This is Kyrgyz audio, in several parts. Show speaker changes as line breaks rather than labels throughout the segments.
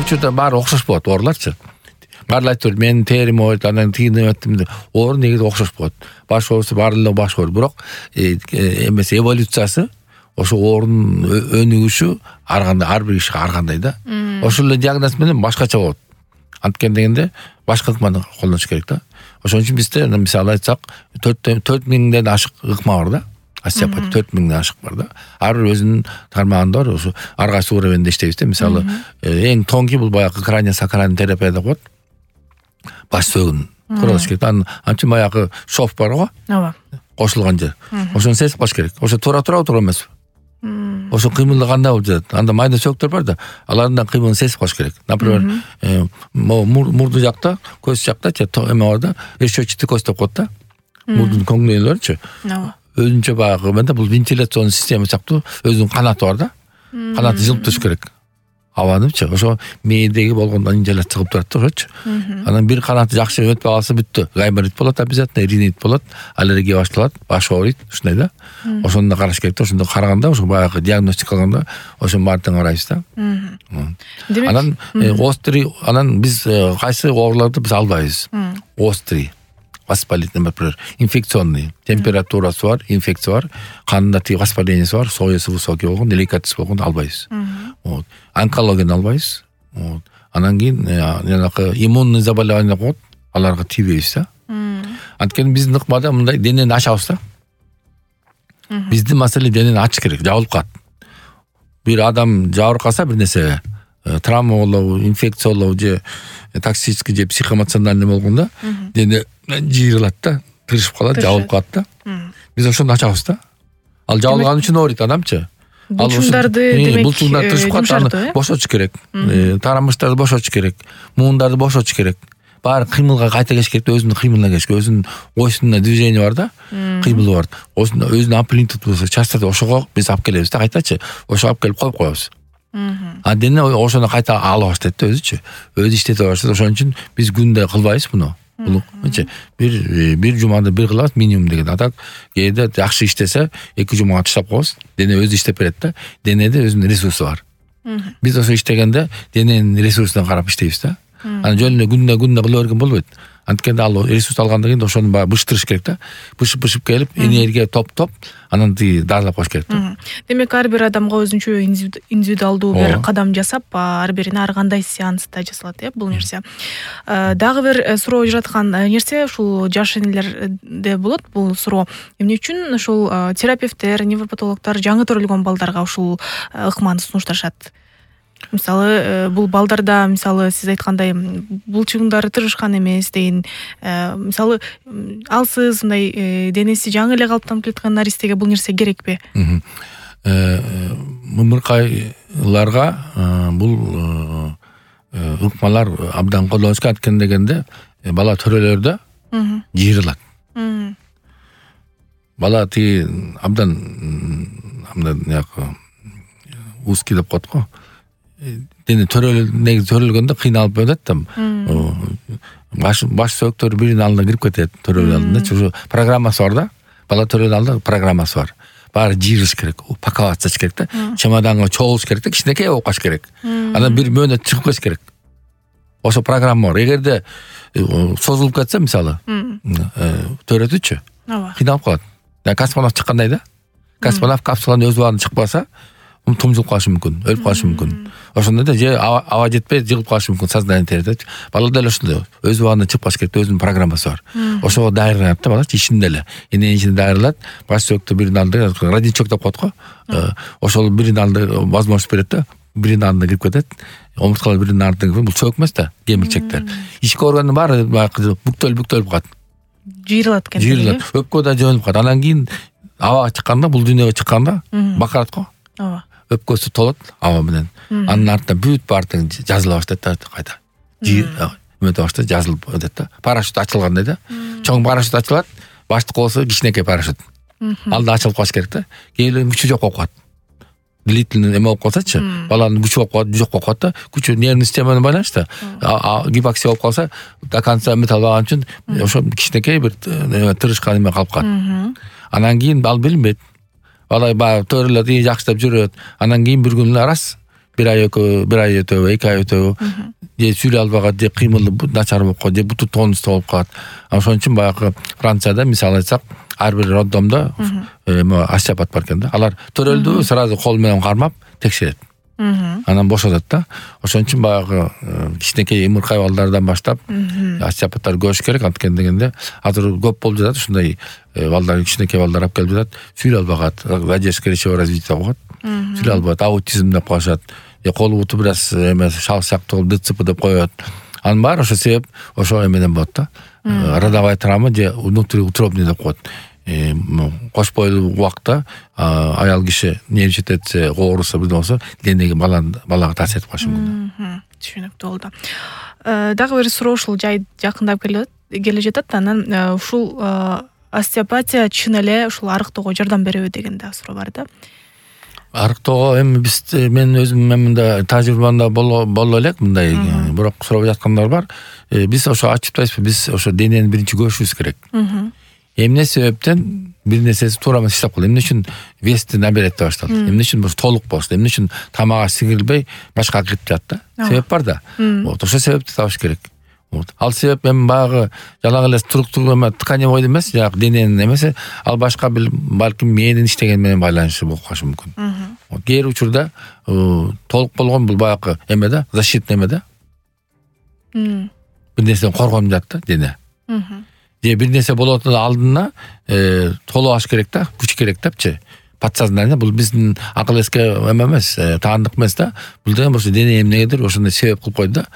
учурда баары окшош болот ооруларчы. Баары айтып берет, менин терим ооруйт, анан тигине өттүм деп. Оору негизи окшош болот. Баш оорусу баардыгы баш оору, бирок эмеси эволюциясы ошо оорунун өнүгүшү ар бир кишиге ар кандай да. Ошол эле диагноз менен башкача болот. Анткени дегенде башка ыкманы колдонуш керек да. Ошон үчүн бизде мисалы айтсак 4000ден ашык ыкма бар да. Остеопат 4000ден ашык бар да. Ар бир өзүнүн тармагында бар. Ошо ар кайсы уровенде иштейбиз да. Мисалы эң тонкий бул баягы краниосакраль терапия деп коет. Баш сөөгүн куралыш керек. Анча баягы шов бар го.
Ооба.
Кошулган жер. Ошону сезип калыш керек. Ошо тура эмеспи? Ошо кыймылы кандай болуп жатат? Анда майда сөктөр бар да, алардын кыймылын сезип калыш керек. Например, мурду жакта, көз жакта эме бар да, решетчатый кость деп коет да. Мурдун көңнөйлөрүчү.
Ооба.
Өзүнчө баягы менде бул вентиляцион система сыяктуу өзүнүн канаты бар да. Канаты жылып туруш керек. Абанычы, ошо мээдеги болгон инжаляция чыгып турат да, ошочу. Анан бир канаты жакшы өтпөй калса бүттү. Гайморит болот обязательно, ринит болот, аллергия башталат, баш ооруйт, ушундай да. Ошону да караш керек да. Ошондо караганда, ошо баягы диагностика кылганда ошонун баарын тең карайбыз да. Анан острый, анан биз кайсы ооруларды биз албайбыз. Острый, воспалительный, например, инфекционный, температурасы бар, инфекция бар, кандында тиги воспалениеси бар, соясы высокий болгон, деликатес болгон албайбыз. Вот. Онкологияны албайбыз. Вот. Анан кийин жанагы иммунный заболевание коет, аларга тийбейбиз да. Анткени биздин ыкмада мындай денени ачабыз да. Биздин маселе денени ачыш керек, жабылып калат. Бир адам жабырып калса бир нерсе, травма болобу, инфекция болобу же токсический же психоэмоциональный болгондо дене жыйрылат да, тырышып калат, жабылып калат да. Биз ошону ачабыз да. Ал жабылган үчүн ооруйт адамчы.
Булчуңдарды демек
булчуңдар тырышып калат, аны бошотуш керек. Тарамыштарды бошотуш керек. Муундарды бошотуш керек. Баары кыймылга кайта келиш керек, өзүнүн кыймылына келиш керек. Өзүнүн ойсунда движение бар да, кыймылы бар. Өзүнүн амплитудасы, частоты ошого биз алып келебиз да, кайтачы. Ошого алып келип коюп коебуз. А дене ошону кайта ала баштайт да өзүчү. Өзү иштете баштайт. Ошон үчүн биз күндө кылбайбыз муну. Бир жумада бир кылабыз минимум деген. Атак кээде жакшы иштесе 2 жумага таштап коебуз. Дене өзү иштеп берет да. Денеде өзүнүн ресурсу бар. Биз ошо иштегенде дененин ресурсуна карап иштейбиз да. Анан жөн эле күндө кыла берген болбойт. Анткени ал ресурс алгандан кийин ошону баягы быштырыш керек да. Бышып келип, энергия топ, анан тиги даарылап коюш керек да.
Демек ар бир адамга өзүнчө индивидуалдуу бир кадам жасап, ар бирине ар кандай сеанста жасалат, бул нерсе. Дагы бир суроо жаткан нерсе ушул жаш энелерде болот, бул суроо. Эмне үчүн ушул терапевттер, невропатологдор жаңы төрөлгөн балдарга ушул ыкманы сунушташат? Мисалы, бул балдарда, мисалы, сиз айткандай булчуңдары тырышкан эмес деген, мисалы, алсыз мындай денеси жаңы эле калыптанып келаткан наристеге бул нерсе керекпи?
Мымыркайларга бул ыкмалар абдан колдонуш керек. Анткени дегенде бала төрөлөрдө жыйрылат. Бала тиги абдан узкий деп коет го. Дене төрөлгөндө кыйналып өтөт да. Баш сөктөр биринин алдына кирип кетет төрөлгөн алдында. Ошо программасы бар да. Бала төрөлгөн алдында программасы бар. Баары жыйрылыш керек, упаковаться керек да. Чемоданга чогулуш керек да, кичинекей болуп калыш керек. Анан бир мөөнөт чыгып кетиш керек. Ошо программа бар. Эгерде созулуп кетсе, мисалы, төрөтүчү, кыйналып калат. Космонавт чыккандай да. Космонавт капсуланын өз убагында чыкпаса, тумжулуп калышы мүмкүн, өлүп калышы мүмкүн. Ошондо да же аба жетпей жыгылып калышы мүмкүн, сознание терет. Бала деле ошондой, өз убагында чыгып калыш керек, өзүнүн программасы бар. Ошого дайырланат да бала, ичинде эле. Эненин ичинде дайырланат, баш сөктү биринин алдына, родничок деп коет го. Ошол биринин алдына возможность берет да, биринин алдына кирип кетет. Омурткалар биринин артына кирип, бул чөк эмес да, кемирчектер. Ички органдын баары бүктөлүп калат.
Жыйрылат экен.
Жыйрылат, өпкө да жөнүп калат. Анан кийин абага чыкканда, бул дүйнөгө чыкканда бакарат го.
Ооба.
Өпкөсү толот аба менен. Анын артынан бүт баардыгы жазыла баштайт да, кайта. Өтө баштайт, жазылып өтөт да. Парашют ачылгандай да. Чоң парашют ачылат, баштык болсо кичинекей парашют. Алда ачылып калыш керек да. Кээде күчү жок болуп калат. Длительный эме болуп калсачы, баланын күчү болуп калат, жок болуп калат да. Күчү нервный системаны байланыштуу. Гипоксия болуп калса, до конца металлбаган үчүн ошо кичинекей бир тырышкан эме калып калат. Анан кийин ал билинбейт. Бала төрөлөт, жакшылап жүрөт. Анан кийин бир күн раз бир ай өтөбү, 2 ай өтөбү, же сүйлөй албагат, же кыймылы начар болуп калат, же буту тонустуу болуп калат. Ошон үчүн баягы Францияда мисалы айтсак, ар бир роддомдо остеопат бар экен да. Алар төрөлдү, сразу кол менен кармап текшерет. Анан бошотот да. Ошон үчүн баягы кичинекей имыркай балдардан баштап остеопаттар көрүш керек. Анткени дегенде азыр көп болуп жатат ушундай балдар, кичинекей балдар алып келип жатат, сүйлөй албагат, задержка речевого развития болуп калат. Сүйлөй албайт, аутизм деп коюшат. Колу буту бир аз шал сыяктуу болуп ДЦП деп коет. Анын баары ошо себеп ошо эменен болот да. Родовая травма же внутриутробный деп коет. Кош бойлуу убакта аял киши нервичет этсе, ооруса бирден болсо, денеге балага таасир этип калышы мүмкүн.
Түшүнүктүү болду. Дагы бир суроо ушул жай жакындап келе жатат. Анан ушул остеопатия чын эле ушул арыктоого жардам береби деген да суроо бар да.
Арыктоого эми мен өзүм мында тажрыйбамда боло элек мындай, бирок сурап жаткандар бар. Биз ошо ачыптайбызбы, биз ошо денени биринчи көрүшүбүз керек. Эмне себептен бир нерсеси туура эмес иштеп калды, эмне үчүн вести наберет башталды, эмне үчүн толук болушту, эмне үчүн тамага сиңирилбей башка кирип жатты да. Себеп бар да. Вот ошо себепти табыш керек. Ал себеп эми баягы жалаң эле структура тканевой эмес, жагы дененин эмеси, ал башка балким мээнин иштеген менен байланышы болуп калышы мүмкүн. Вот кээ бир учурда толук болгон бул баягы эме да, защитный эме да. Бир нерседен коргонуп жатты дене. Же бир нерсе болотун алдына толуп алыш керек да, күч керек депчи. Подсознание бул биздин акыл эске эме эмес, таандык эмес да. Бул деген ошо дене эмнегедир ошондой себеп кылып койду да.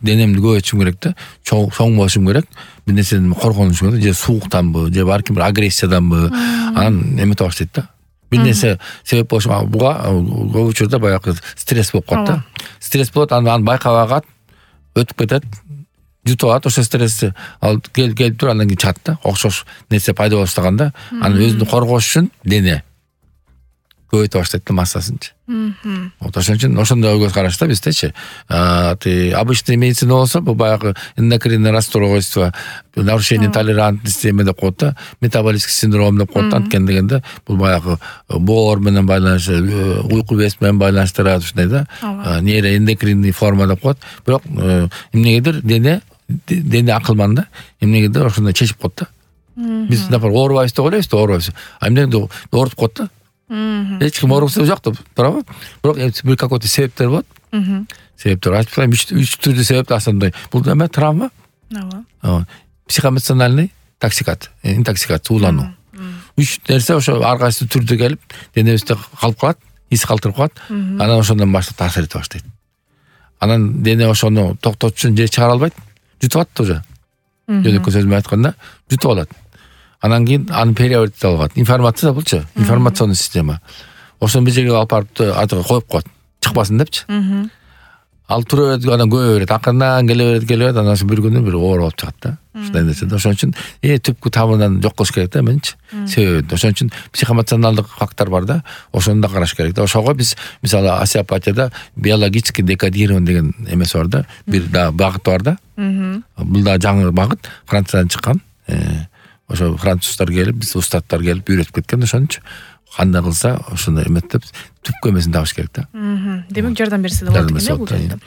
Денемди көбөйтүшүм керек да, чоң болушум керек, бир нерседен коргонушум керек, же сууктанбы, же балким бир агрессияданбы, анан эметип баштайт да. Бир нерсе себеп болушу, буга көп учурда баягы стресс болуп калат да. Стресс болот, анан байкабагат, өтүп кетет. Жутуп алат ошо стрессти, ал келип туруп андан кийин чыгат да. Окшош нерсе пайда боло баштаганда, анан өзүн коргош үчүн дене көбөйтө баштайт да массасынчы. Вот ошон үчүн ошондой көз карашта биздечи. Обычный медицина болсо, бул баягы эндокринный расстройство, нарушение толерантности деп коет да, метаболический синдром деп коет. Анткени дегенде бул баягы боор менен байланыштуу, уйку бес менен байланыштырат ушундай да. Нейроэндокринный форма деп коет. Бирок эмнегедир дене акылман да, эмнегедир ошондой чечип коет да. Биз например оорубайбыз деп ойлойбуз да, оорубайбыз. Эмнеге ооруп коет да. Эч ким оорубаса жок деп, туурабы? Бирок бир какой-то себептер болот. Себептер айтып коем, 3 түрдүү себеп асандай. Бул эме травма. Ооба. Психоэмоциональный интоксикация, уулануу. 3 нерсе ошо ар кайсы түрдө келип, денебизде калып калат, ис калтырып калат. Анан ошондон баштап таасир эте баштайт. Анан дене ошону токтотуш үчүн же чыгара албайт, жутуп атат уже. Жөнөкөй сөз менен айтканда, жутуп алат. Анан кийин аны переварить алат. Информация булчу, информационный система. Ошону бир жерге алып барып атыга коюп коет, чыкпасын депчи. Ал тура берет, анан көбөй берет, акырынан келе берет, анан бир күнү бир оор болуп чыгат да. Ушундай нерсе да. Ошон үчүн түпкү тамырынан жок кылыш керек да менчи. Себеби ошон үчүн психоэмоционалдык фактор бар да. Ошону да караш керек да. Ошого биз мисалы остеопатияда биологический декодирование деген эмеси бар да. Бир да багыт бар да. Бул да жаңы багыт, Франциядан чыккан. Ошо француздар келип, биз устаттар келип үйрөтүп кеткен, ошончу кандай кылса ошондой эметтеп түпкү эмесин табыш керек да.
Демек жардам берсе да болот экен бул жерде.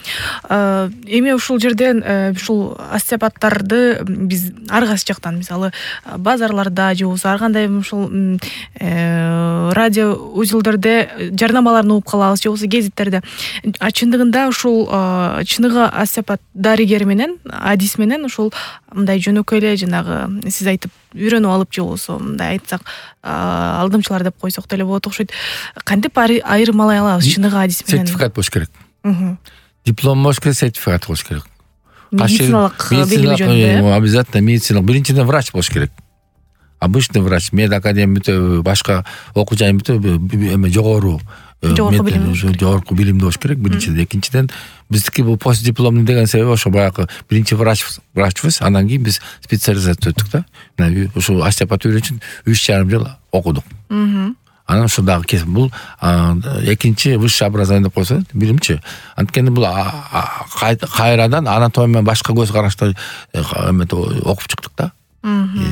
Эми ушул жерден ушул остеопаттарды биз ар кайсы жактан, мисалы базарларда же болбосо ар кандай ушул радио узелдерде жарнамаларын угуп калабыз, же болбосо гезиттерде. Чындыгында ушул чыныгы остеопат дарыгер менен, адис менен ушул мындай жөнөкөй эле жанагы сиз айтып үйрөнүп алып, же болбосо мындай айтсак алдымчылар деп койсок деле болот окшойт. Кантип айырмалай алабыз чыныгы адис менен?
Сертификат болуш керек. Диплом болуш керек, сертификат болуш керек.
Медициналык белги жөнүндө.
Обязательно медициналык. Биринчиден врач болуш керек. Обычный врач, медакадемия бүтөбү, башка окуу жайын бүтөбү, эме жогорку билимдүү болуш керек биринчиден. Экинчиден биздики бул постдипломный деген себеби ошо баягы биринчи врачбыз, андан кийин биз специализация өттүк да. Мына ушул остеопат үйрөнүш үчүн 3,5 жыл окудук. Анан ошо дагы кесип бул экинчи высшее образование деп койсо, билимчи. Анткени бул кайрадан анатомия башка көз карашта окуп чыктык да.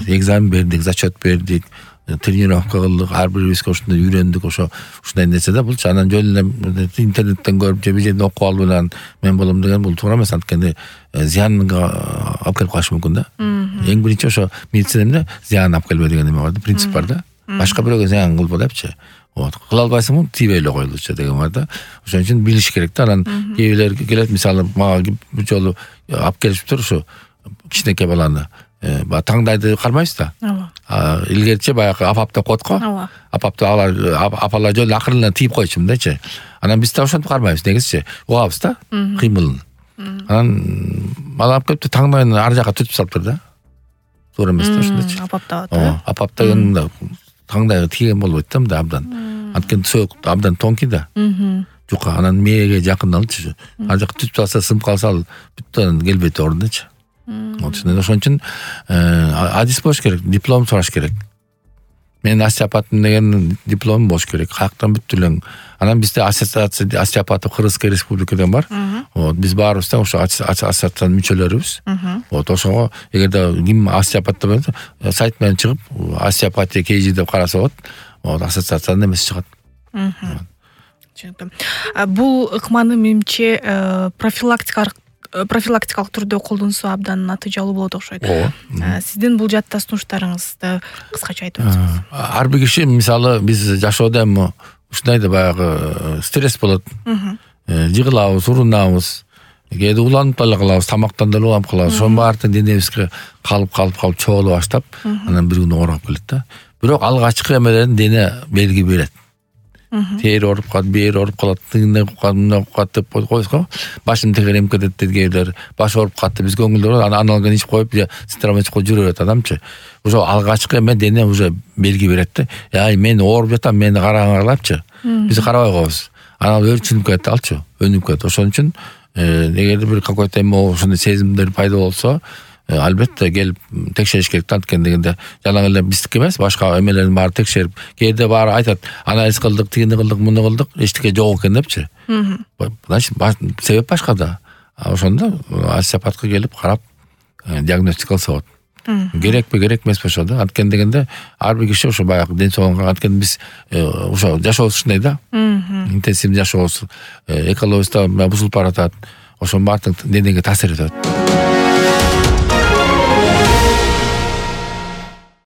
Экзамен бердик, зачет бердик, тренировка кылдык, ар бирибизге ушундай үйрөндүк, ушундай нерсе да. Булчу анан жөн эле интернеттен көрүп же бир жерден окуп алып эле мен болом деген бул туура эмес. Анткени зыянга алып келип калышы мүмкүн да. Эң биринчи ошо медицинада зыян алып келбе деген неме бар да, принцип бар да. Башка бирөөгө зыян кылба депчи. Кыла албайсыңбы, тийбей эле койлучу деген бар да. Ошон үчүн билиш керек да. Анан кээ бирлер келет, мисалы мага бир жолу алып келишиптир ушу кичинекей баланы. Таңдайды кармайбыз да. Илгерчи баягы апап деп коет го. Апапты апалар жөн акырына тийип койчу мындайчы. Анан биз да ошентип кармайбыз, негизичи угабыз да кыймылын. Анан бала алып келип таңдайын ар жака түтүп салыптыр да. Туура эмес да ошондойчу. Апап деген таңдайга тийген болбойт да мындай абдан. Анткени сөөк абдан тонкий да. Жука анан мээге жакындалчу. Ар жака түтүп салса, сынып калса ал бүттөн келбейт ордучу. Ошон үчүн адис болуш керек, диплом сураш керек. Мен остеопатмын деген диплом болуш керек. Каяктан бүттүлөң. Анан бизде ассоциация остеопатов Кыргызская республикадан бар. Биз баарыбыз да ошо ассоциациянын мүчөлөрүбүз. Ошого эгерде ким остеопат деп болсо, сайт менен чыгып остеопатия KG деп караса болот. Ассоциациянын эмеси чыгат.
Бул ыкманы менимче профилактикалык түрдө колдонсо абдан натыйжалуу болот окшойт. Сиздин бул жаатта сунуштарыңызды кыскача айтып өтсөңүз.
Ар бир киши, мисалы биз жашоодо эми ушундай да баягы стресс болот. Жыгылабыз, урунабыз, кээде уланып деле калабыз, тамактан деле уланып калабыз. Ошонун баардыгы денебизге калып чогулуп баштап, анан бир күнү ооруп келет да. Бирок алгачкы эмелерин дене белги берет. Тери ооруп калат, бери ооруп калат, тыгын ооруп калат деп койсо, башым тегерем кетет дегендер, баш ооруп калат деп биз көңүлдөр аналогын ичип коюп, ситрамон ичип коюп жүрө берет адамчы. Ошо алгачкы эме дене уже белги берет да. Мен ооруп жатам, мени караңарлапчы. Биз карабай коебуз. Анан өрчүнүп кетет алчы, өнүп кетет. Ошон үчүн эгерде бир какой-то эме ошондой сезимдер пайда болсо, албетте келип текшериш керек да. Анткени дегенде жалаң эле биздики эмес, башка эмелердин баары текшерип, кээде баары айтат, анализ кылдык, тигини кылдык, муну кылдык, эчтеке жок экен депчи. Значит, себеп башка да. Ошондо остеопатка келип карап диагностика кылса болот. Керекпи, керек эмеспи ошо да. Анткени дегенде ар бир киши ошо баягы ден соолугуна, анткени биз ошо жашообуз ушундай да. Интенсивдүү жашообуз экологибиз да бузулуп баратат. Ошонун баардыгы денеге таасир этет.